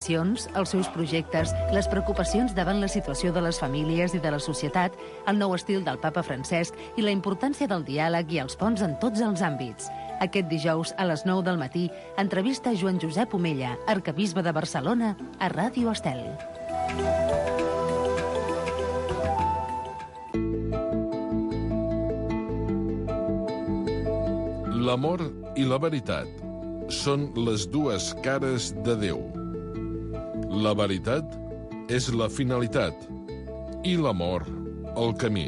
els seus projectes, les preocupacions davant la situació de les famílies i de la societat, el nou estil del papa Francesc i la importància del diàleg i els ponts en tots els àmbits. Aquest dijous, a les 9 del matí, entrevista Joan Josep Omella, arquebisbe de Barcelona, a Ràdio Estel. L'amor i la veritat són les dues cares de Déu. La veritat és la finalitat i l'amor el camí.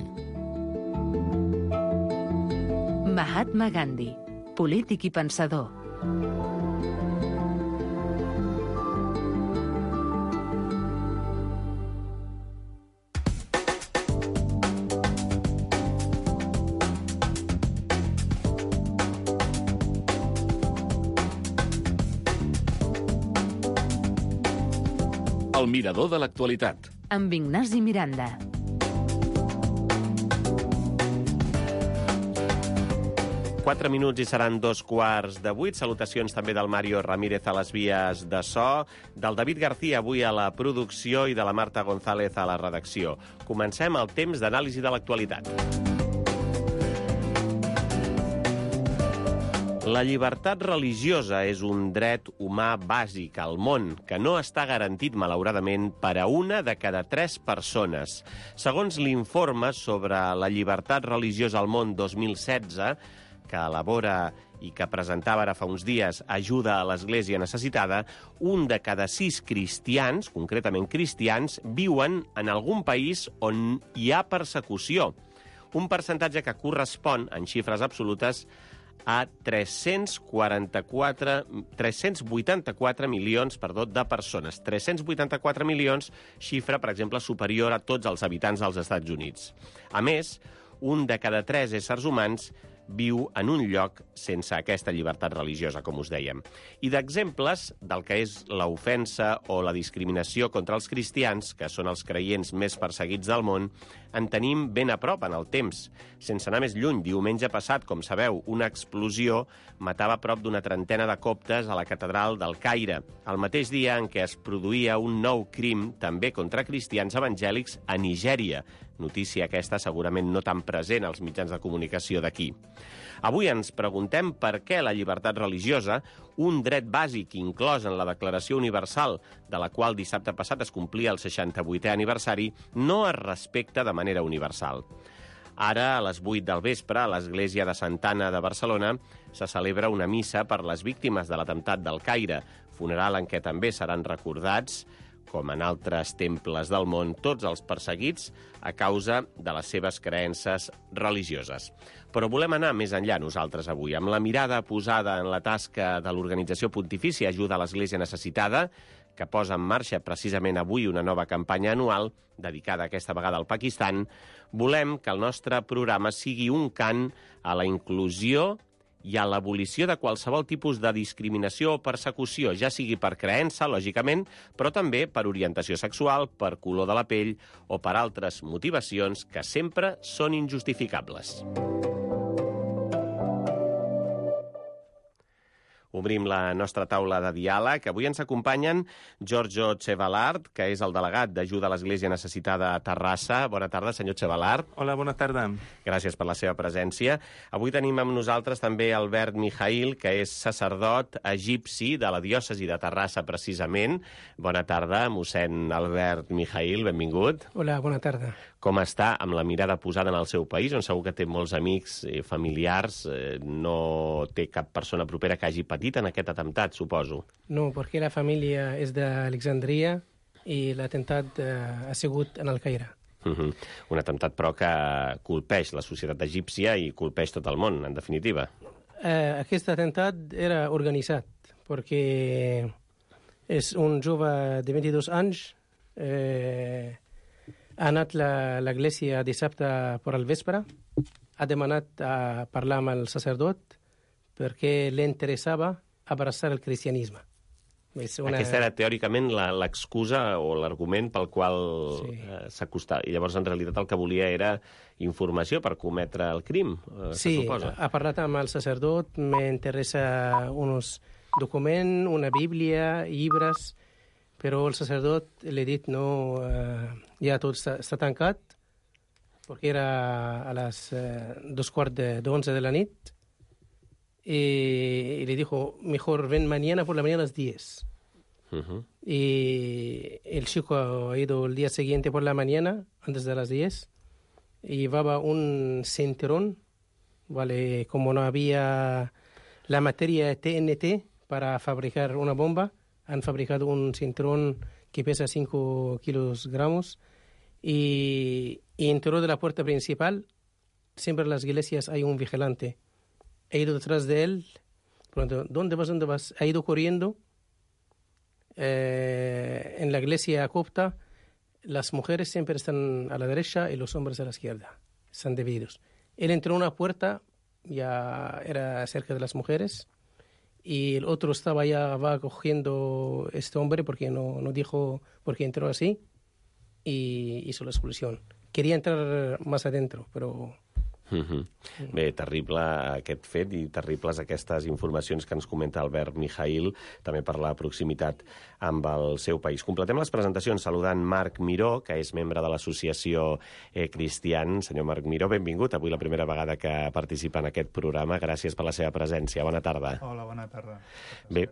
Mahatma Gandhi, polític i pensador. El mirador de l'actualitat. Amb Ignasi Miranda. Quatre minuts i seran 2:15. Salutacions també del Mario Ramírez a les vies de so, del David García avui a la producció i de la Marta González a la redacció. Comencem el temps d'anàlisi de l'actualitat. La llibertat religiosa és un dret humà bàsic al món que no està garantit, malauradament, per a una de cada 3 persones. Segons l'informe sobre la llibertat religiosa al món 2016, que elabora i que presentava ara fa uns dies Ajuda a l'Església Necessitada, un de cada 6 cristians, concretament cristians, viuen en algun país on hi ha persecució. Un percentatge que correspon, en xifres absolutes, a 384 milions de persones. 384 milions, xifra, per exemple, superior a tots els habitants dels Estats Units. A més, un de cada 3 éssers humans viu en un lloc sense aquesta llibertat religiosa, com us dèiem. I d'exemples del que és l'ofensa o la discriminació contra els cristians, que són els creients més perseguits del món, en tenim ben a prop en el temps. Sense anar més lluny, diumenge passat, com sabeu, una explosió matava prop d'una trentena de coptes a la catedral del Caire, el mateix dia en què es produïa un nou crim, també contra cristians evangèlics, a Nigèria. Notícia aquesta segurament no tan present als mitjans de comunicació d'aquí. Avui ens preguntem per què la llibertat religiosa, un dret bàsic inclòs en la Declaració Universal, de la qual dissabte passat es complia el 68è aniversari, no es respecta de manera universal. Ara, a les 8 del vespre, a l'església de Santa Anna de Barcelona, se celebra una missa per les víctimes de l'atemptat del Caire, funeral en què també seran recordats, com en altres temples del món, tots els perseguits a causa de les seves creences religioses. Però volem anar més enllà nosaltres avui, amb la mirada posada en la tasca de l'Organització Pontifícia Ajuda a l'Església Necessitada, que posa en marxa precisament avui una nova campanya anual dedicada aquesta vegada al Pakistan. Volem que el nostre programa sigui un cant a la inclusió i a l'abolició de qualsevol tipus de discriminació o persecució, ja sigui per creença, lògicament, però també per orientació sexual, per color de la pell o per altres motivacions que sempre són injustificables. Obrim la nostra taula de diàleg. Avui ens acompanyen Giorgio Cebalart, que és el delegat d'Ajuda a l'Església Necessitada a Terrassa. Bona tarda, senyor Cebalart. Hola, bona tarda. Gràcies per la seva presència. Avui tenim amb nosaltres també Albert Mijail, que és sacerdot egipci de la diòcesi de Terrassa, precisament. Bona tarda, mossèn Albert Mijail, benvingut. Hola, bona tarda. Com està amb la mirada posada en el seu país, on segur que té molts amics i familiars, no té cap persona propera que hagi patit en aquest atemptat, suposo? No, perquè la família és d'Alexandria i l'atemptat ha sigut en el Caire. Un atemptat, però, que colpeix la societat egípcia i colpeix tot el món, en definitiva. Aquest atemptat era organitzat, perquè és un jove de 22 anys, ha anat a l'església dissabte per al vespre, ha demanat a parlar amb el sacerdot perquè li interessava abraçar el cristianisme. Aquesta era teòricament l'excusa o l'argument pel qual s'acostava. I llavors, en realitat, el que volia era informació per cometre el crim, se suposa. Sí, ha parlat amb el sacerdot, m'interessa uns documents, una bíblia, llibres, però el sacerdot li ha dit no, ja tot està tancat, perquè era a les 11:15 de la nit, y le dijo, mejor ven mañana por la mañana a las 10. Y el chico ha ido el día siguiente por la mañana, antes de las 10, y llevaba un cinturón, ¿vale? Como no había la materia TNT para fabricar una bomba, han fabricado un cinturón que pesa 5 kilogramos y entró de la puerta principal. Siempre en las iglesias hay un vigilante. He ido detrás de él. Pronto, ¿dónde vas? ¿Dónde vas? Ha ido corriendo. En la iglesia copta, las mujeres siempre están a la derecha y los hombres a la izquierda. Están divididos. Él entró a una puerta, ya era cerca de las mujeres, y el otro va cogiendo este hombre porque no dijo por qué entró así, y hizo la expulsión. Quería entrar más adentro, pero... Bé, terrible aquest fet i terribles aquestes informacions que ens comenta Albert Mijail, també per la proximitat amb el seu país. Completem les presentacions saludant Marc Miró, que és membre de l'associació Cristian. Senyor Marc Miró, benvingut. Avui la primera vegada que participa en aquest programa. Gràcies per la seva presència. Bona tarda. Hola, bona tarda. Bé,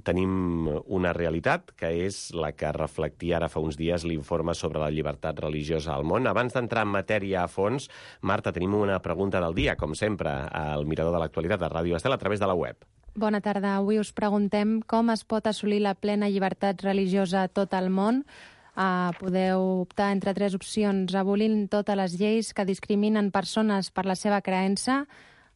tenim una realitat que és la que reflectia ara fa uns dies l'informe sobre la llibertat religiosa al món. Abans d'entrar en matèria a fons, Marta, tenim una pregunta del dia, com sempre, al Mirador de l'Actualitat de Ràdio Estel a través de la web. Bona tarda. Avui us preguntem com es pot assolir la plena llibertat religiosa a tot el món. Podeu optar entre 3 opcions: abolint totes les lleis que discriminen persones per la seva creença,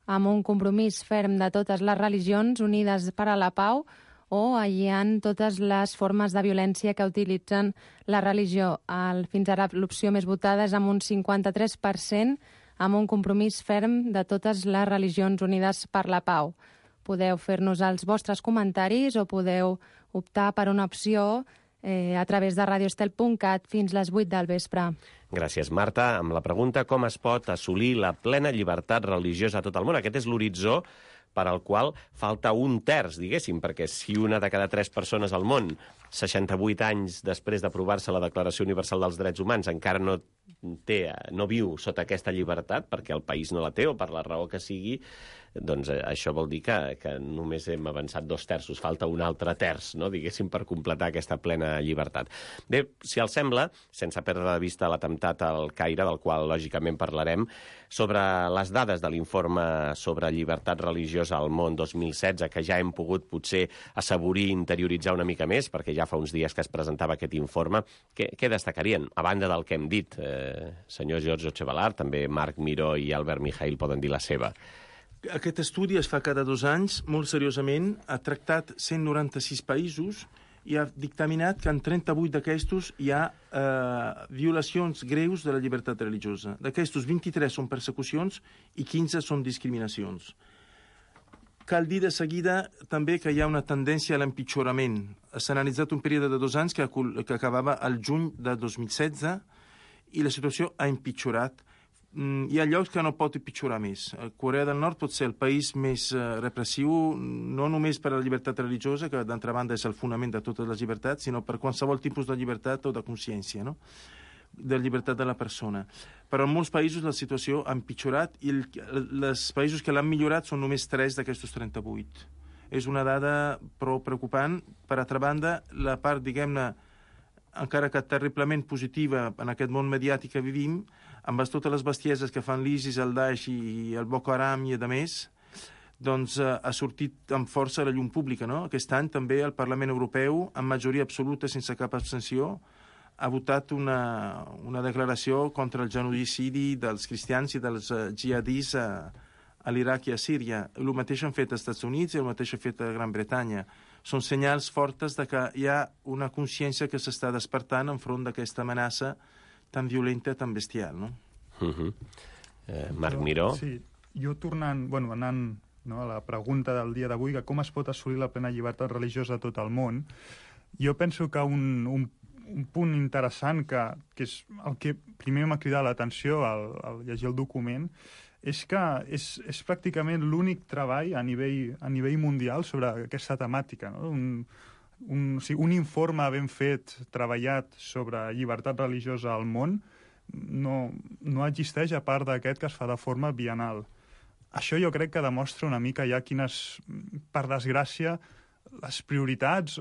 amb un compromís ferm de totes les religions unides per a la pau, o aïllant totes les formes de violència que utilitzen la religió. Fins ara l'opció més votada és amb un 53%, amb un compromís ferm de totes les religions unides per la pau. Podeu fer-nos els vostres comentaris o podeu optar per una opció a través de radioestel.cat fins les 8 del vespre. Gràcies, Marta. Amb la pregunta com es pot assolir la plena llibertat religiosa a tot el món. Aquest és l'horitzó per al qual falta 1/3, diguéssim, perquè si una de cada 3 persones al món, 68 anys després d'aprovar-se la Declaració Universal dels Drets Humans, encara no viu sota aquesta llibertat, perquè el país no la té o per la raó que sigui, doncs això vol dir que només hem avançat 2/3, falta un altre terç, no? Diguéssim, per completar aquesta plena llibertat. Bé, si els sembla, sense perdre de vista l'atemptat al Caire, del qual lògicament parlarem, sobre les dades de l'informe sobre llibertat religiosa al món 2016, que ja hem pogut potser assaborir i interioritzar una mica més, perquè ja fa uns dies que es presentava aquest informe, què destacarien? A banda del que hem dit, senyor Giorgio Chevalar, també Marc Miró i Albert Mijail poden dir la seva. Aquest estudi es fa cada 2 anys, molt seriosament, ha tractat 196 països i ha dictaminat que en 38 d'aquestos hi ha violacions greus de la llibertat religiosa. D'aquestos, 23 són persecucions i 15 són discriminacions. Cal dir de seguida també que hi ha una tendència a l'empitjorament. S'ha analitzat un període de 2 anys que acabava al juny de 2016 i la situació ha empitjorat. Hi ha llocs que no pot empitjorar més. Corea del Nord pot ser el país més repressiu, no només per a la llibertat religiosa, que d'altra banda és el fonament de totes les llibertats, sinó per qualsevol tipus de llibertat o de consciència, no? De llibertat de la persona. Però en molts països la situació ha empitjorat i els països que l'han millorat són només 3 d'aquestos 38. És una dada prou preocupant. Per altra banda, la part, diguem-ne, encara que terriblement positiva en aquest món mediàtic que vivim, amb totes les bestieses que fan l'ISIS, el Daesh i el Boko Haram i a més, doncs ha sortit amb força a la llum pública, no? Aquest any també el Parlament Europeu, amb majoria absoluta, sense cap abstenció, ha votat una declaració contra el genocidi dels cristians i dels jihadis a l'Iraq i a Síria. El mateix han fet als Estats Units i el mateix ha fet a Gran Bretanya. Són senyals fortes de que hi ha una consciència que s'està despertant enfront d'aquesta amenaça tan violenta, tan bestial, no? Marc Miró? Sí, jo tornant, anant a la pregunta del dia d'avui, que com es pot assolir la plena llibertat religiosa a tot el món, jo penso que un punt interessant, que és el que primer m'ha cridat l'atenció al llegir el document, és que és pràcticament l'únic treball a nivell mundial sobre aquesta temàtica, no? un informe ben fet, treballat sobre llibertat religiosa al món, no existeix a part d'aquest que es fa de forma bienal. Això jo crec que demostra una mica ja quines, per desgràcia, les prioritats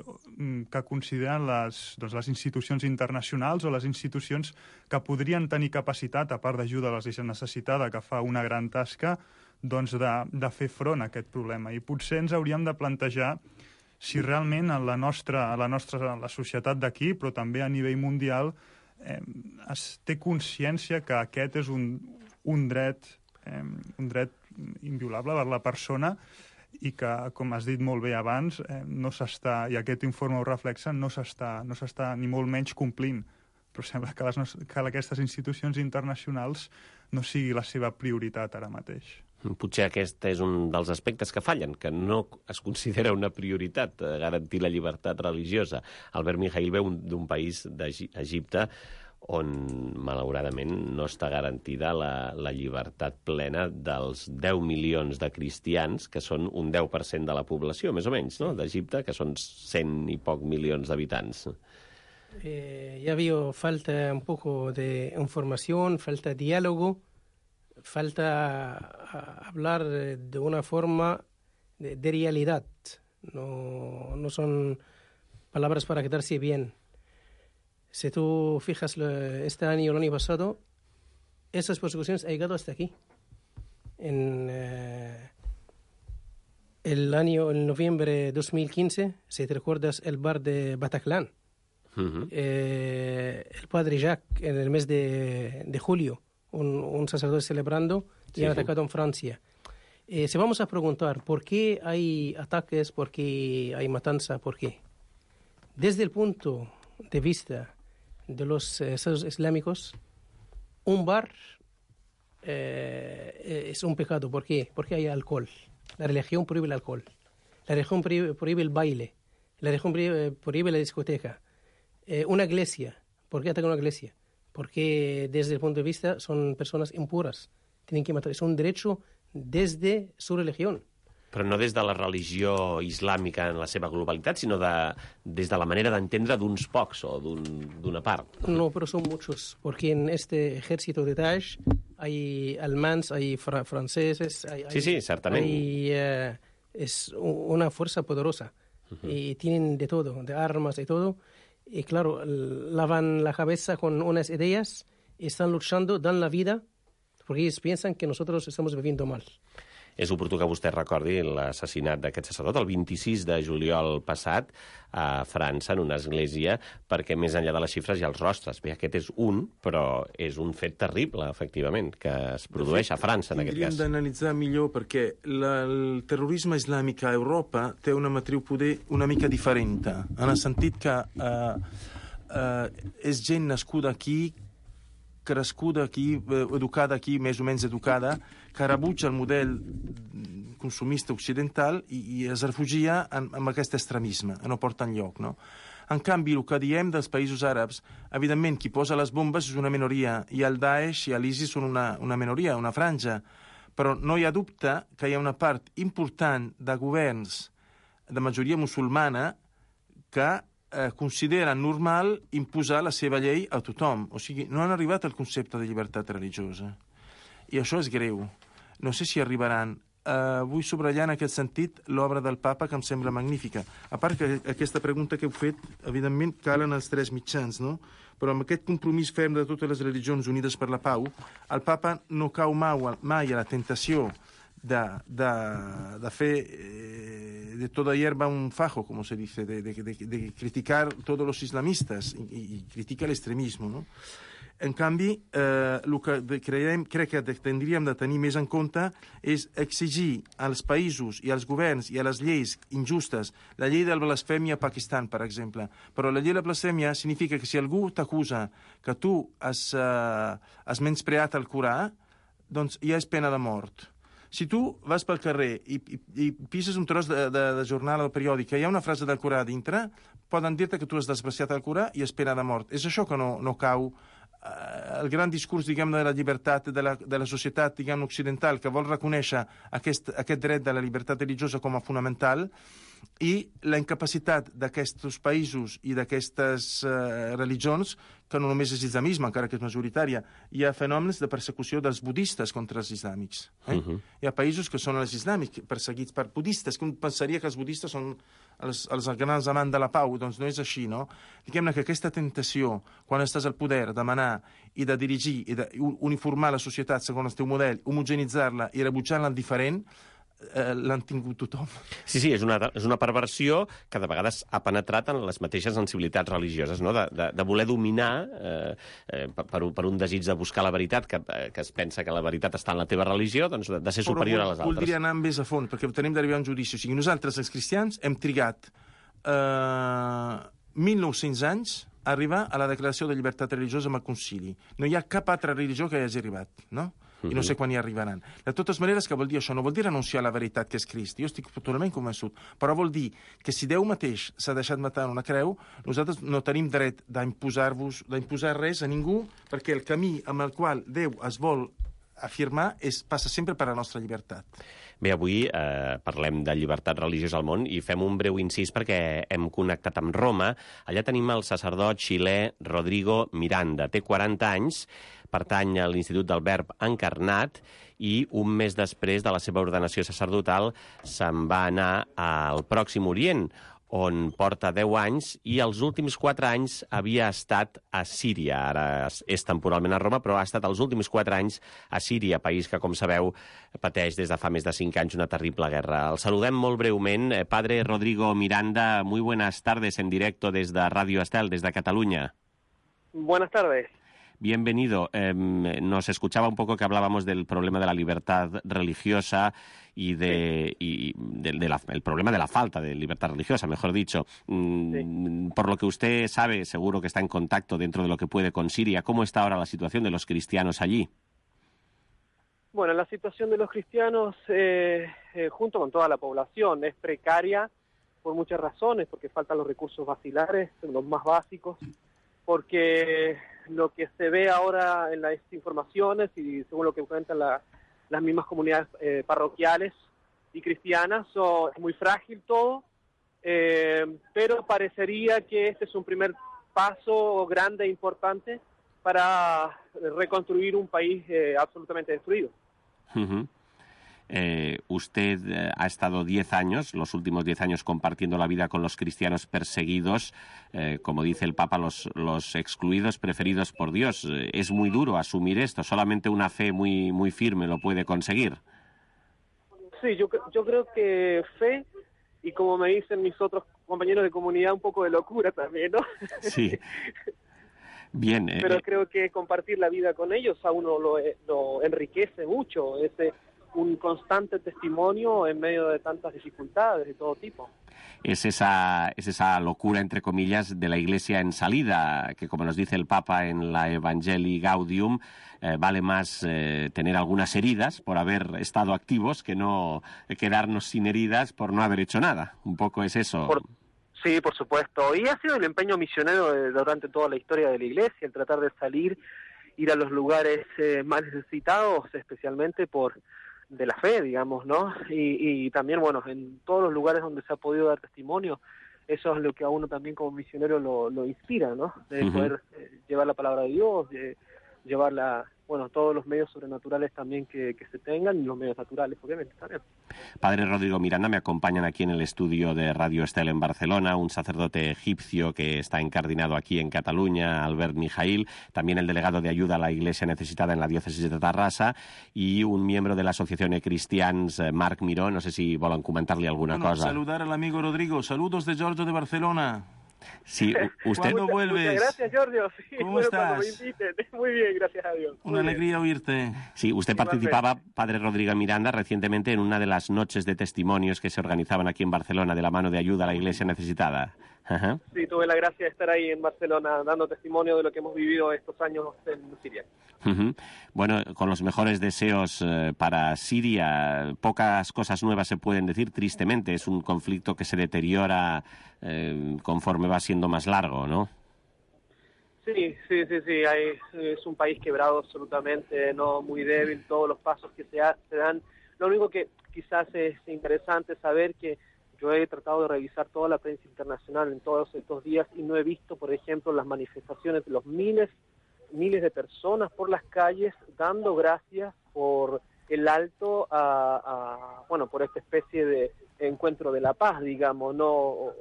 que consideren les institucions internacionals o les institucions que podrien tenir capacitat, a part d'ajuda a la gent necessitada, que fa una gran tasca, doncs de fer front a aquest problema. I potser ens hauríem de plantejar si realment a la societat d'aquí, però també a nivell mundial, es té consciència que aquest és un dret inviolable per la persona i que, com has dit molt bé abans, no s'està, i aquest informe ho reflexa, no s'està ni molt menys complint. Però sembla que aquestes institucions internacionals no sigui la seva prioritat ara mateix. Potser aquest és un dels aspectes que fallen, que no es considera una prioritat garantir la llibertat religiosa. Albert Mijaíl ve d'un país d'Egipte on, malauradament, no està garantida la llibertat plena dels 10 milions de cristians, que són un 10% de la població, més o menys, no?, d'Egipte, que són 100 i poc milions d'habitants. Ya veo falta un poco de información, falta diálogo, falta hablar de una forma de realidad. No son palabras para quedarse bien. Si tú fijas este año y el año pasado, esas persecuciones han llegado hasta aquí. En el noviembre de 2015, si te recuerdas, el bar de Bataclan. El padre Jacques, en el mes de julio, un sacerdote celebrando, y han atacado en Francia. Si vamos a preguntar por qué hay ataques, por qué hay matanza, por qué. Desde el punto de vista de los estados islámicos, un bar es un pecado. ¿Por qué? Porque hay alcohol. La religión prohíbe el alcohol. La religión prohíbe el baile. La religión prohíbe la discoteca. Una iglesia. ¿Por qué atacan una iglesia? Porque desde el punto de vista son personas impuras. Tienen que matar. Es un derecho desde su religión. Però no des de la religió islàmica en la seva globalitat, sinó des de la manera d'entendre d'uns pocs o d'una part. No, pero son muchos, porque en este ejército de Daesh hay alemanes, hay franceses, Sí, certament. Es una fuerza poderosa y tienen de todo, de armas y todo. Y claro, lavan la cabeza con unas ideas y están luchando, dan la vida, porque ellos piensan que nosotros estamos viviendo mal. És oportú que vostè recordi l'assassinat d'aquest sacerdot el 26 de juliol passat a França, en una església, perquè més enllà de les xifres hi ha els rostres. Bé, aquest és un, però és un fet terrible, efectivament, que es produeix a França, en aquest cas. Hauríem d'analitzar millor perquè el terrorisme islàmic a Europa té una matriu poder una mica diferent, en el sentit que és gent nascuda aquí, crescuda aquí, educada aquí, més o menys educada, que rebutja el model consumista occidental i es refugia en aquest extremisme, no porta enlloc, no? En canvi, el que diem dels països àrabs, evidentment, qui posa les bombes és una minoria, i el Daesh i l'ISIS són una minoria, una franja, però no hi ha dubte que hi ha una part important de governs de majoria musulmana que considera normal imposar la seva llei a tothom. O sigui, no han arribat al concepte de llibertat religiosa. I això és greu. No sé si arribaran. Vull subratllar en aquest sentit l'obra del papa, que em sembla magnífica. A part que aquesta pregunta que heu fet, evidentment, calen els tres mitjans, no? Però amb aquest compromís ferm de totes les religions unides per la pau, el papa no cau mai a la tentació de fer de toda hierba un fajo, como se dice, de criticar todos los islamistas y critica el extremismo, no? En canvi, el que crec que tindríem de tenir més en compte és exigir als països i als governs i a les lleis injustes, la llei de la blasfèmia a Pakistan, per exemple. Però la llei de la blasfèmia significa que si algú t'acusa que tu has menyspreat el Corà, doncs ja és pena de mort. Si tu vas pel carrer i pises un tros de jornal o periòdic que hi ha una frase del Corà dintre, poden dir-te que tu has despreciat el Corà i és pena de mort. És això que no cau el gran discurs, diguem, de la llibertat de la societat, diguem, occidental, que vol reconèixer aquest dret de la llibertat religiosa com a fonamental, i la incapacitat d'aquests països i d'aquestes religions, que no només és islamisme, encara que és majoritària, hi ha fenòmens de persecució dels budistes contra els islàmics. Hi ha països que són els islàmics perseguits per budistes, que un pensaria que els budistes són els grans amants de la pau, doncs no és així, no? Diguem-ne que aquesta tentació, quan estàs al poder, de manar i de dirigir i d'uniformar la societat segons el teu model, homogenitzar-la i rebutjar-la en diferent, l'han tingut tothom. Sí, és una perversió que de vegades ha penetrat en les mateixes sensibilitats religioses, no? De voler dominar per un desig de buscar la veritat, que es pensa que la veritat està en la teva religió, doncs de ser superior a les altres. Voldria anar més a fons, perquè tenim d'arribar a un judici. O sigui, nosaltres, els cristians, hem trigat 1.900 anys a arribar a la declaració de llibertat religiosa amb el concili. No hi ha cap altra religió que hi hagi arribat, no? I no sé quan hi arribaran. De totes maneres, què vol dir això? No vol dir renunciar a la veritat que és Crist. Jo estic totalment convençut. Però vol dir que si Déu mateix s'ha deixat matar en una creu, nosaltres no tenim dret d'imposar res a ningú, perquè el camí amb el qual Déu es vol afirmar passa sempre per la nostra llibertat. Bé, avui parlem de llibertat religiosa al món i fem un breu incís perquè hem connectat amb Roma. Allà tenim el sacerdot xilè Rodrigo Miranda. Té 40 anys, pertany a l'Institut del Verb Encarnat i un mes després de la seva ordenació sacerdotal se'n va anar al Pròxim Orient, on porta 10 anys i els últims 4 anys havia estat a Síria. Ara és temporalment a Roma, però ha estat els últims 4 anys a Síria, país que, com sabeu, pateix des de fa més de 5 anys una terrible guerra. El saludem molt breument. Padre Rodrigo Miranda, muy buenas tardes en directo desde Radio Estel, desde Cataluña. Buenas tardes. Bienvenido. Nos escuchaba un poco que hablábamos del problema de la libertad religiosa y el problema de la falta de libertad religiosa, mejor dicho. Sí. Por lo que usted sabe, seguro que está en contacto dentro de lo que puede con Siria. ¿Cómo está ahora la situación de los cristianos allí? Bueno, la situación de los cristianos, junto con toda la población, es precaria por muchas razones, porque faltan los recursos basilares, los más básicos, porque lo que se ve ahora en las informaciones y según lo que cuentan las mismas comunidades parroquiales y cristianas, es muy frágil todo, pero parecería que este es un primer paso grande e importante para reconstruir un país absolutamente destruido. Usted ha estado 10 años, los últimos 10 años, compartiendo la vida con los cristianos perseguidos, como dice el Papa, los excluidos, preferidos por Dios. Es muy duro asumir esto, solamente una fe muy, muy firme lo puede conseguir. Sí, yo creo que fe, y como me dicen mis otros compañeros de comunidad, un poco de locura también, ¿no? Sí. Bien. Pero creo que compartir la vida con ellos a uno lo enriquece mucho, un constante testimonio en medio de tantas dificultades de todo tipo. Es esa locura, entre comillas, de la Iglesia en salida, que como nos dice el Papa en la Evangelii Gaudium, vale más tener algunas heridas por haber estado activos que no quedarnos sin heridas por no haber hecho nada. Un poco es eso. Sí, por supuesto. Y ha sido el empeño misionero durante toda la historia de la Iglesia, el tratar de ir a los lugares más necesitados, especialmente de la fe, digamos, ¿no? Y también, bueno, en todos los lugares donde se ha podido dar testimonio, eso es lo que a uno también como misionero lo inspira, ¿no? De poder llevar la palabra de Dios, de llevar todos los medios sobrenaturales también que se tengan, y los medios naturales, obviamente, también. Padre Rodrigo Miranda, me acompañan aquí en el estudio de Radio Estel en Barcelona, un sacerdote egipcio que está encardinado aquí en Cataluña, Albert Mijail, también el delegado de ayuda a la Iglesia necesitada en la diócesis de Tarrasa, y un miembro de la Asociación de Cristians, Marc Miró. No sé si volen comentar-li alguna cosa. Saludar al amigo Rodrigo. Saludos de Giorgio de Barcelona. Sí, usted ¿Cuándo vuelves? Muchas gracias, Giorgio. Sí, ¿Cómo estás? Cuando me inviten. Muy bien, gracias a Dios. Una alegría oírte. Sí, usted participaba, Padre Rodrigo Miranda, recientemente en una de las noches de testimonios que se organizaban aquí en Barcelona de la mano de ayuda a la Iglesia necesitada. Ajá. Sí, tuve la gracia de estar ahí en Barcelona dando testimonio de lo que hemos vivido estos años en Siria. Bueno, con los mejores deseos para Siria, pocas cosas nuevas se pueden decir, tristemente. Es un conflicto que se deteriora conforme va siendo más largo, ¿no? Sí. Es un país quebrado absolutamente, no muy débil, todos los pasos que se dan. Lo único que quizás es interesante saber que Yo he tratado de revisar toda la prensa internacional en todos estos días y no he visto, por ejemplo, las manifestaciones de los miles de personas por las calles dando gracias por el alto por esta especie de encuentro de la paz, digamos, no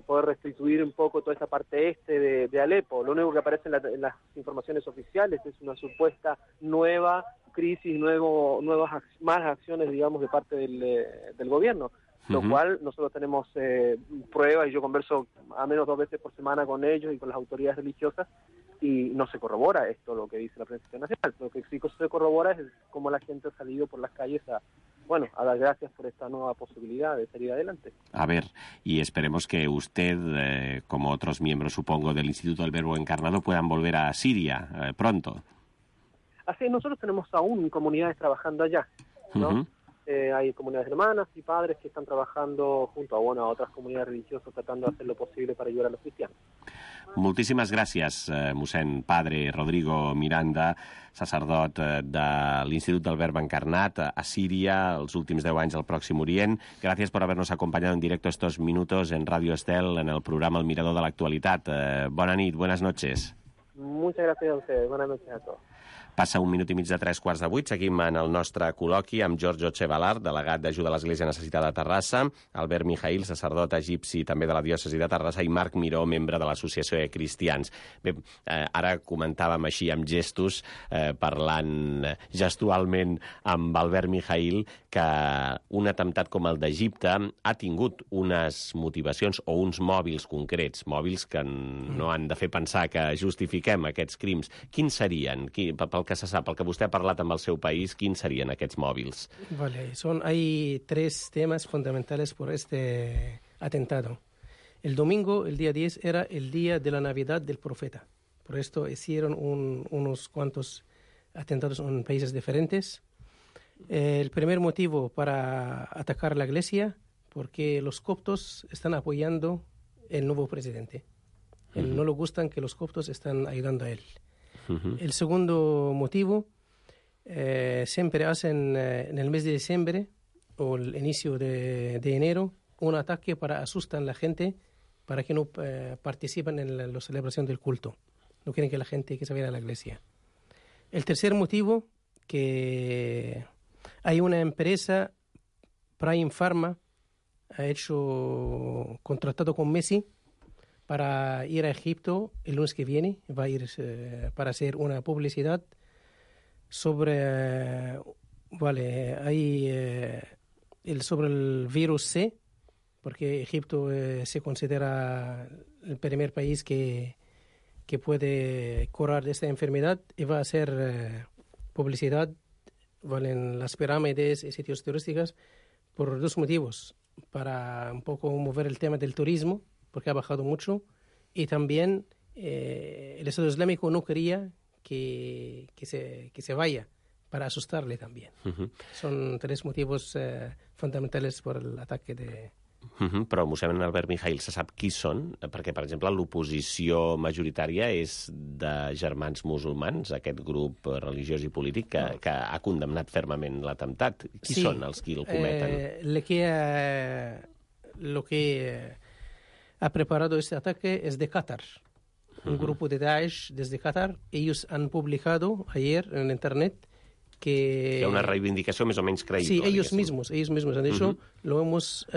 poder restituir un poco toda esa parte de Alepo. Lo único que aparece en las informaciones oficiales es una supuesta nueva crisis, más acciones, digamos, de parte del gobierno, lo cual nosotros tenemos pruebas, y yo converso a menos 2 veces por semana con ellos y con las autoridades religiosas, y no se corrobora esto, lo que dice la prensa internacional. Lo que sí se corrobora es cómo la gente ha salido por las calles a dar gracias por esta nueva posibilidad de salir adelante. A ver, y esperemos que usted, como otros miembros, supongo, del Instituto del Verbo Encarnado, puedan volver a Siria pronto. Así es, nosotros tenemos aún comunidades trabajando allá, ¿no? Hay comunidades hermanas y padres que están trabajando junto a otras comunidades religiosas tratando de hacer lo posible para ayudar a los cristianos. Moltíssimes gràcies, mossèn Padre Rodrigo Miranda, sacerdot de l'Institut del Verb Encarnat a Síria, els últims 10 anys al Pròxim Orient. Gracias por habernos acompañado en directo estos minutos en Radio Estel, en el programa El Mirador de la Actualitat. Bona nit, buenas noches. Muchas gracias a ustedes, buenas noches a todos. Passa 1 minut i mig de 3:15. Seguim en el nostre col·loqui amb Giorgio Chevalar, delegat d'Ajuda a l'Església Necessitada de Terrassa, Albert Mijail, sacerdot egipci també de la diòcesi de Terrassa, i Marc Miró, membre de l'Associació de Cristians. Bé, ara comentàvem així amb gestos, parlant gestualment amb Albert Mijail, que un atemptat com el d'Egipte ha tingut unes motivacions o uns mòbils concrets, mòbils que no han de fer pensar que justifiquem aquests crims. Quins serien? Pel que se sap, el que vostè ha parlat amb el seu país, quins serien aquests mòbils? Vale, hay 3 temas fundamentales por este atentado. El domingo, el día 10, era el día de la Navidad del Profeta. Por esto hicieron unos cuantos atentados en países diferentes. El primer motivo para atacar la iglesia, porque los coptos están apoyando el nuevo presidente. No le gustan que los coptos están ayudando a él. El segundo motivo, siempre hacen en el mes de diciembre o el inicio de enero un ataque para asustar a la gente para que no participen en la celebración del culto. No quieren que la gente que se vaya a la iglesia. El tercer motivo, que hay una empresa, Prime Pharma, ha hecho contratado con Messi para ir a Egipto el lunes que viene. Va a ir para hacer una publicidad sobre sobre el virus C, porque Egipto se considera el primer país que puede curar de esta enfermedad, y va a hacer publicidad en las pirámides y sitios turísticos por 2 motivos: para un poco mover el tema del turismo, porque ha bajado mucho, y también el Estado Islámico no quería que se vaya, para asustarle también. Son 3 motivos fundamentales por el ataque de... Però, mossèn Albert Mijail, se sap qui són? Perquè, per exemple, l'oposició majoritària és de germans musulmans, aquest grup religiós i polític que ha condemnat fermament l'atemptat. Qui són els qui el cometen? Lo que ha preparado este ataque es de Qatar. Un grupo de Daesh desde Qatar. Ellos han publicado ayer en Internet que... Hi ha una reivindicació més o menys creïble. Sí, ellos mismos han dicho, lo hemos...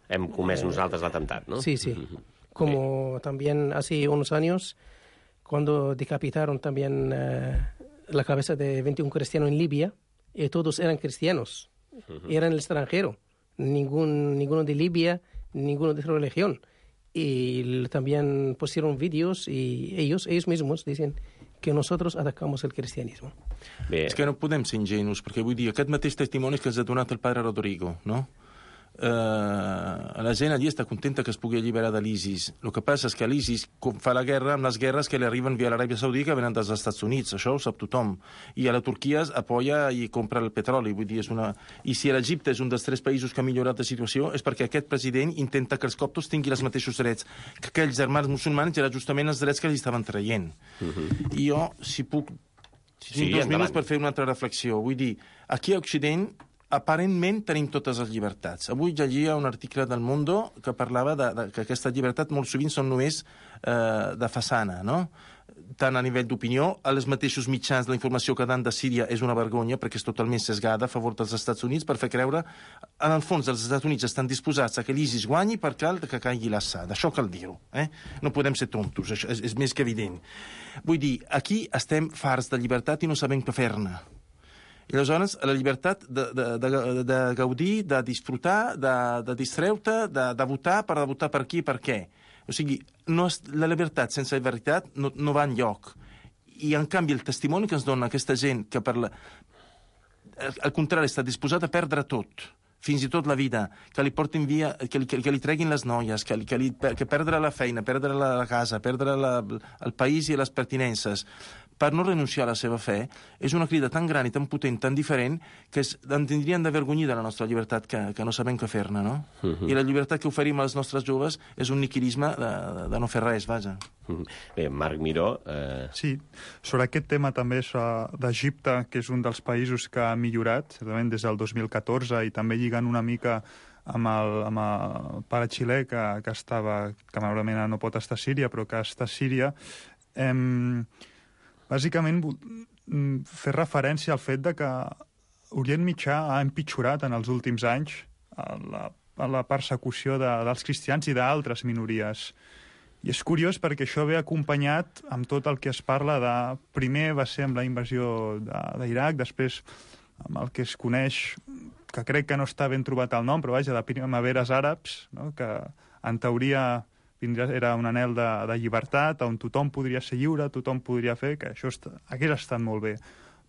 Hem comès nosaltres l'atemptat, ¿no? Sí. Como también hace unos años, cuando decapitaron también la cabeza de 21 cristianos en Libia, y todos eran cristianos, eran el extranjero, ninguno de Libia, ninguno de otra religión. Y también pusieron vídeos y ellos mismos dicen que nosotros atacamos el cristianismo. Bé. És que no podem ser ingenus, perquè vull dir, aquest mateix testimoni que ens ha donat el padre Rodrigo, no? La gent allí està contenta que es pugui alliberar de l'ISIS. El que passa és que l'ISIS fa la guerra amb les guerres que li arriben via l'Aràbia Saudita, que venen dels Estats Units. Això ho sap tothom. I a la Turquia apoya i compra el petroli. Vull dir, I si l'Egipte és un dels 3 països que ha millorat la situació, és perquè aquest president intenta que els coptos tinguin els mateixos drets que aquells germans musulmans, era justament els drets que li estaven traient. I jo, si puc... 2 minuts per fer una altra reflexió. Vull dir, aquí a Occident aparentment tenim totes les llibertats. Avui llegia un article del Mundo que parlava que aquesta llibertat molt sovint són només de façana, no? Tant a nivell d'opinió, els mateixos mitjans de la informació que dan de Síria és una vergonya perquè és totalment sesgada a favor dels Estats Units per fer creure, en el fons, els Estats Units estan disposats a que l'ISIS guanyi per cal que caigui l'Assad. Això cal dir-ho. No podem ser tontos, això és més que evident. Vull dir, aquí estem farts de llibertat i no sabem què fer-ne. I aleshores, la llibertat de gaudir, de disfrutar, de distreure-te, de votar per qui i per què. O sigui, la llibertat sense veritat no va enlloc. I, en canvi, el testimoni que ens dona aquesta gent que al contrari està disposada a perdre tot, fins i tot la vida, que li portin via, que li treguin les noies, que perdre la feina, perdre la casa, perdre el país i les pertinences, per no renunciar a la seva fe, és una crida tan gran i tan potent, tan diferent, que en tindrien d'avergonyir de la nostra llibertat que no sabem què fer-ne, no? I la llibertat que oferim als nostres joves és un niquilisme de no fer res, vaja. Bé, Marc Miró... Sí, sobre aquest tema també d'Egipte, que és un dels països que ha millorat, certament des del 2014, i també lligant una mica amb el pare xilè que malauradament no pot estar a Síria, però que està a Síria, bàsicament, fer referència al fet de que Orient Mitjà ha empitjorat en els últims anys la persecució dels cristians i d'altres minories. I és curiós perquè això ve acompanyat amb tot el que es parla de... Primer va ser amb la invasió d'Iraq, després amb el que es coneix, que crec que no està ben trobat el nom, però vaja, de primaveres àrabs, no? Que en teoria... era un anhel de llibertat, on tothom podria ser lliure, tothom podria fer, que això hagués estat molt bé.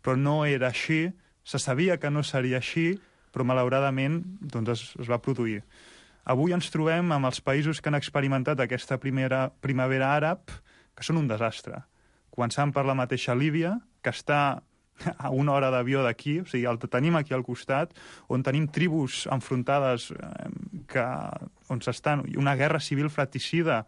Però no era així, se sabia que no seria així, però malauradament doncs, es va produir. Avui ens trobem amb els països que han experimentat aquesta primavera àrab, que són un desastre. Començant per la mateixa Líbia, que està a una hora d'avió d'aquí, o sigui, el tenim aquí al costat, on tenim tribus enfrontades on s'estan, una guerra civil fratricida,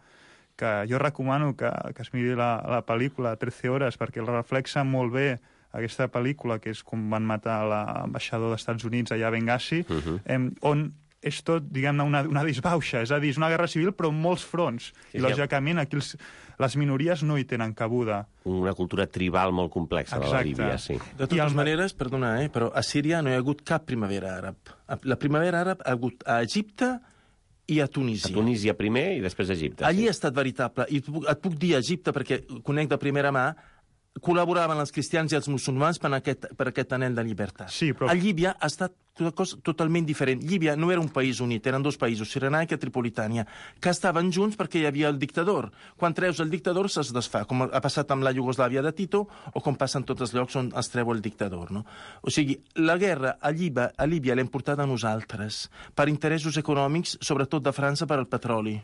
que jo recomano que es miri la pel·lícula 13 hores, perquè el reflexa molt bé aquesta pel·lícula, que és com van matar l'ambaixador dels Estats Units allà a Benghazi, on és tot, diguem-ne, una disbauxa, és a dir, és una guerra civil però en molts fronts. I, lògicament, aquí les minories no hi tenen cabuda. Una cultura tribal molt complexa, de la Líbia, sí. De totes maneres, perdona, però a Síria no hi ha hagut cap primavera àrab. La primavera àrab ha hagut a Egipte i a Tunísia. A Tunísia primer i després a Egipte. Allí ha estat veritable. I et puc dir a Egipte, perquè conec de primera mà, col·laboraven els cristians i els musulmans per aquest anhel de llibertat. Sí, però... A Líbia ha estat una cosa totalment diferent. Líbia no era un país unit, eren dos països, Cirenaica i Tripolitània, que estaven junts perquè hi havia el dictador. Quan treus el dictador se'ls desfà, com ha passat amb la Iugoslàvia de Tito o com passa en tots els llocs on es treu el dictador. No? O sigui, la guerra a Líbia l'hem portada a nosaltres per interessos econòmics, sobretot de França per al petroli.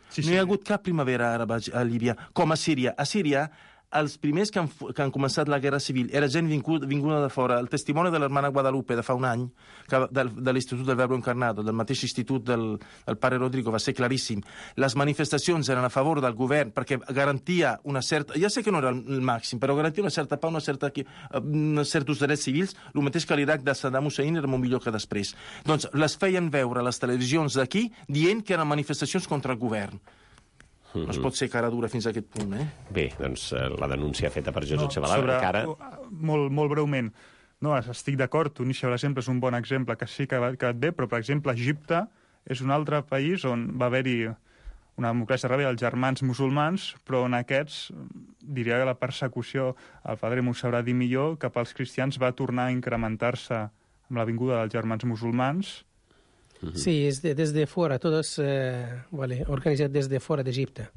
Sí. No hi ha hagut cap primavera àrab a Líbia, com a Síria. A Síria, els primers que han començat la guerra civil era gent vinguda de fora. El testimoni de l'hermana Guadalupe de fa un any, de l'Institut del Verbo Encarnado, del mateix institut del pare Rodrigo, va ser claríssim. Les manifestacions eren a favor del govern perquè garantia una certa... Ja sé que no era el màxim, però garantia una certa pau, certs drets civils, el mateix que l'Iraq de Saddam Hussein era molt millor que després. Doncs les feien veure a les televisions d'aquí dient que eren manifestacions contra el govern. No es pot ser cara dura fins a aquest punt, Bé, doncs la denúncia feta per Josep Chabalà encara... Molt breument. No, estic d'acord, Tunísia, per exemple, és un bon exemple, que sí que et ve, però, per exemple, Egipte és un altre país on va haver-hi una democràcia rebel, els germans musulmans, però en aquests, diria que la persecució, el padre m'ho sabrà dir millor, cap als cristians va tornar a incrementar-se amb la vinguda dels germans musulmans. Sí, es desde fuera, todo es organizado desde fuera de Egipte.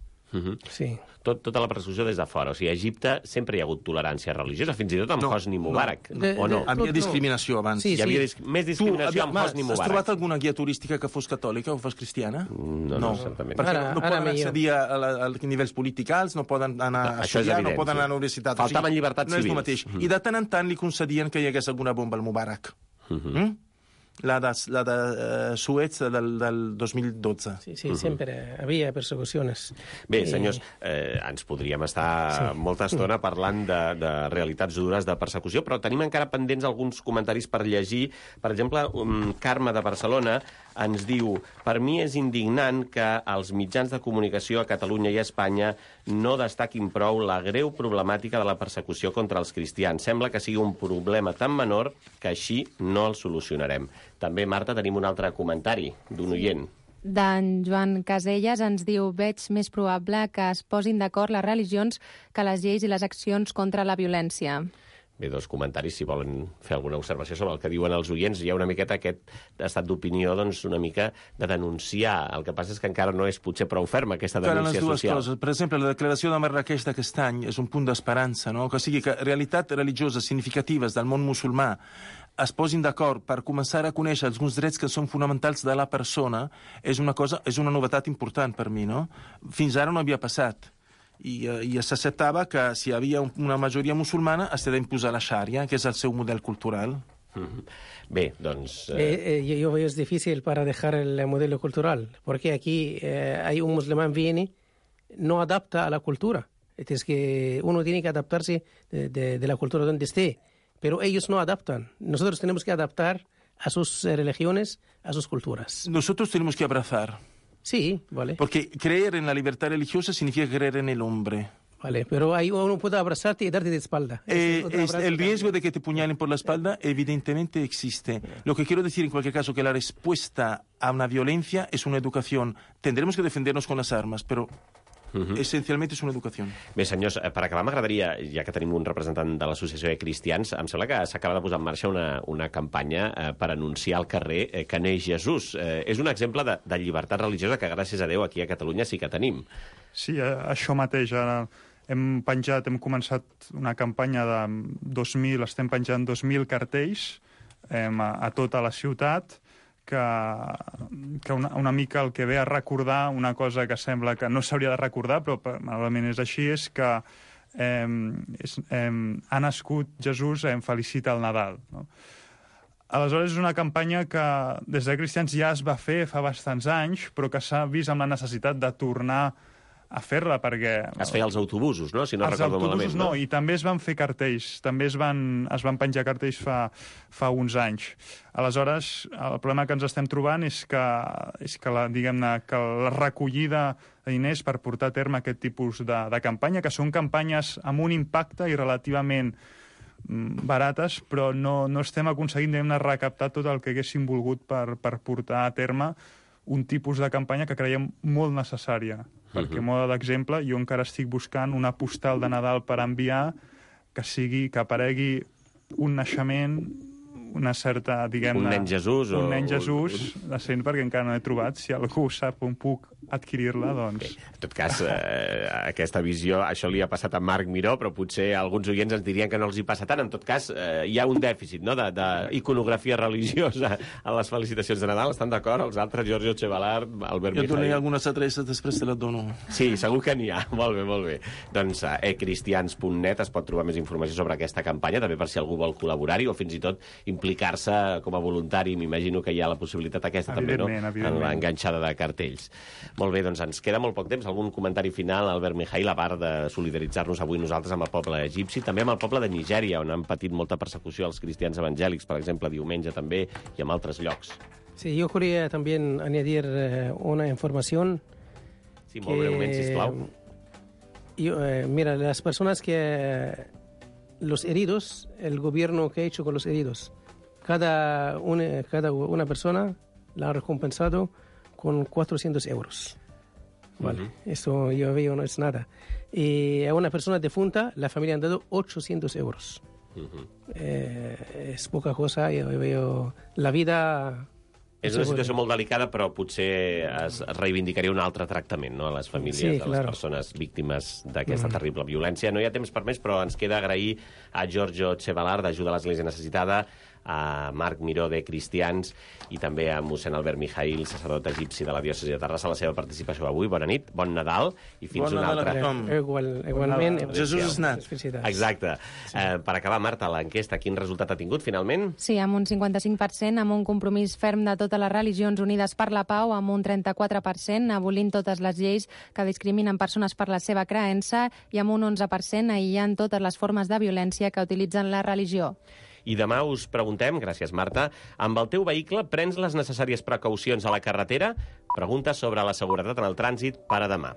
Sí. Tota la persecució des de fora. O sigui, a Egipte sempre hi ha hagut tolerància religiosa, fins i tot amb Hosni Mubarak, o no? Hi havia discriminació abans. Sí, hi havia més discriminació amb Hosni Mubarak. Has trobat alguna guia turística que fos catòlica o fos cristiana? No, certament. Perquè no poden accedir a nivells politicals, no poden anar a estudiar, no poden anar a la universitat. Faltaven llibertats civils. No és el mateix. I de tant en tant li concedien que hi hagués alguna bomba al Mubarak. la de Suez del 2012. Sí, sempre havia persecucions. Bé, senyors, ens podríem estar molta estona parlant de realitats dures de persecució, però tenim encara pendents alguns comentaris per llegir. Per exemple, Carme de Barcelona ens diu: per mi és indignant que els mitjans de comunicació a Catalunya i a Espanya no destaquin prou la greu problemàtica de la persecució contra els cristians. Sembla que sigui un problema tan menor que així no el solucionarem. També, Marta, tenim un altre comentari d'un oient. D'en Joan Caselles ens diu: veig més probable que es posin d'acord les religions que les lleis i les accions contra la violència. Bé, dos comentaris, si volen fer alguna observació sobre el que diuen els oients. Hi ha una miqueta aquest estat d'opinió, doncs, una mica de denunciar. El que passa és que encara no és potser prou ferma aquesta denúncia social. Coses. Per exemple, la declaració de Marrakeix d'aquest any és un punt d'esperança, no? Que sigui que realitats religioses significatives del món musulmà es posin d'acord per començar a conèixer alguns drets que són fonamentals de la persona és una novetat important per mi, no? Fins ara no havia passat. I s'acceptava que si hi havia una majoria musulmana es ha d'imposar la xària, que és el seu model cultural. Bé, doncs... Yo veo es difícil para dejar el modelo cultural, porque aquí hay un musulmán viene, no adapta a la cultura. Es que uno tiene que adaptarse de la cultura donde esté, pero ellos no adaptan. Nosotros tenemos que adaptar a sus religiones, a sus culturas. Nosotros tenemos que abrazar. Sí, vale. Porque creer en la libertad religiosa significa creer en el hombre. Vale, pero ahí uno puede abrazarte y darte de espalda. El riesgo de que te puñalen por la espalda evidentemente existe. Lo que quiero decir en cualquier caso que la respuesta a una violencia es una educación. Tendremos que defendernos con las armas, pero essencialment és una educació. Bé, senyors, per acabar m'agradaria, ja que tenim un representant de l'Associació de Cristians, em sembla que s'acaba de posar en marxa una campanya per anunciar al carrer que neix Jesús. És un exemple de llibertat religiosa que, gràcies a Déu, aquí a Catalunya sí que tenim. Sí, això mateix. Ara hem començat una campanya de 2.000, estem penjant 2.000 cartells a tota la ciutat, que una mica el que ve a recordar una cosa que sembla que no s'hauria de recordar, però malament és així, és que ha nascut Jesús, felicita el Nadal. No? Aleshores, és una campanya que des de Cristians ja es va fer fa bastants anys, però que s'ha vist amb la necessitat de tornar a fer-la, perquè... Es feia als autobusos, no? Si no recordo malament. Els autobusos no, i també es van fer cartells, també es van penjar cartells fa uns anys. Aleshores, el problema que ens estem trobant és que la recollida de diners per portar a terme aquest tipus de campanya, que són campanyes amb un impacte i relativament barates, però no estem aconseguint recaptar tot el que haguéssim volgut per portar a terme un tipus de campanya que creiem molt necessària. Perquè, a mode d'exemple, jo encara estic buscant una postal de Nadal per enviar que aparegui un naixement, una certa, diguem-ne... Un nen Jesús. Un nen Jesús, decent, perquè encara no he trobat. Si algú sap on puc adquirir-la, doncs... Bé, en tot cas, aquesta visió, això li ha passat a Marc Miró, però potser alguns oients ens dirien que no els hi passa tant. En tot cas, hi ha un dèficit, no?, d'iconografia religiosa a les felicitacions de Nadal. Estan d'acord? Els altres, Giorgio Chevalar, Albert Mijail... Jo donaré algunes adreces, després te les dono. Sí, segur que n'hi ha. Molt bé, molt bé. Doncs a ecristians.net es pot trobar més informació sobre aquesta campanya, també per si algú vol col·laborar-hi o fins i tot implicar-se com a voluntari. M'imagino que hi ha la possibilitat aquesta també, no?, en l'enganxada de cartells. Molt bé, doncs ens queda molt poc temps. Algun comentari final, Albert Mijail, a part de solidaritzar-nos avui nosaltres amb el poble egipci, també amb el poble de Nigèria, on han patit molta persecució els cristians evangèlics, per exemple, diumenge també, i en altres llocs. Sí, yo quería también añadir una información. Sí, molt breument, sisplau. Mira, las personas los heridos, el gobierno que ha hecho con los heridos, cada una persona la ha recompensado con 400 euros. Vale, eso yo veo no es nada. Y a una persona defunta, la familia han dado 800 euros. És poca cosa, jo veo la vida... És una situació molt delicada, però potser es reivindicaria un altre tractament, no?, a les famílies de les persones víctimes d'aquesta terrible violència. No hi ha temps per més, però ens queda agrair a Giorgio Chevalar, d'Ajuda a l'Església Necessitada, a Marc Miró, de Cristians, i també a mossèn Albert Mijail, sacerdot egipci de la diòcesi de Terrassa, la seva participació avui. Bona nit, bon Nadal i fins Bon una Nadal altra. a tothom. Igualment. Jesús és nat. Exacte. Per acabar, Marta, l'enquesta, quin resultat ha tingut finalment? Sí, amb un 55%, amb un compromís ferm de totes les religions unides per la pau, amb un 34%, abolint totes les lleis que discriminen persones per la seva creença, i amb un 11% aïllant totes les formes de violència que utilitzen la religió. I demà us preguntem, gràcies Marta, amb el teu vehicle prens les necessàries precaucions a la carretera? Pregunta sobre la seguretat en el trànsit per a demà.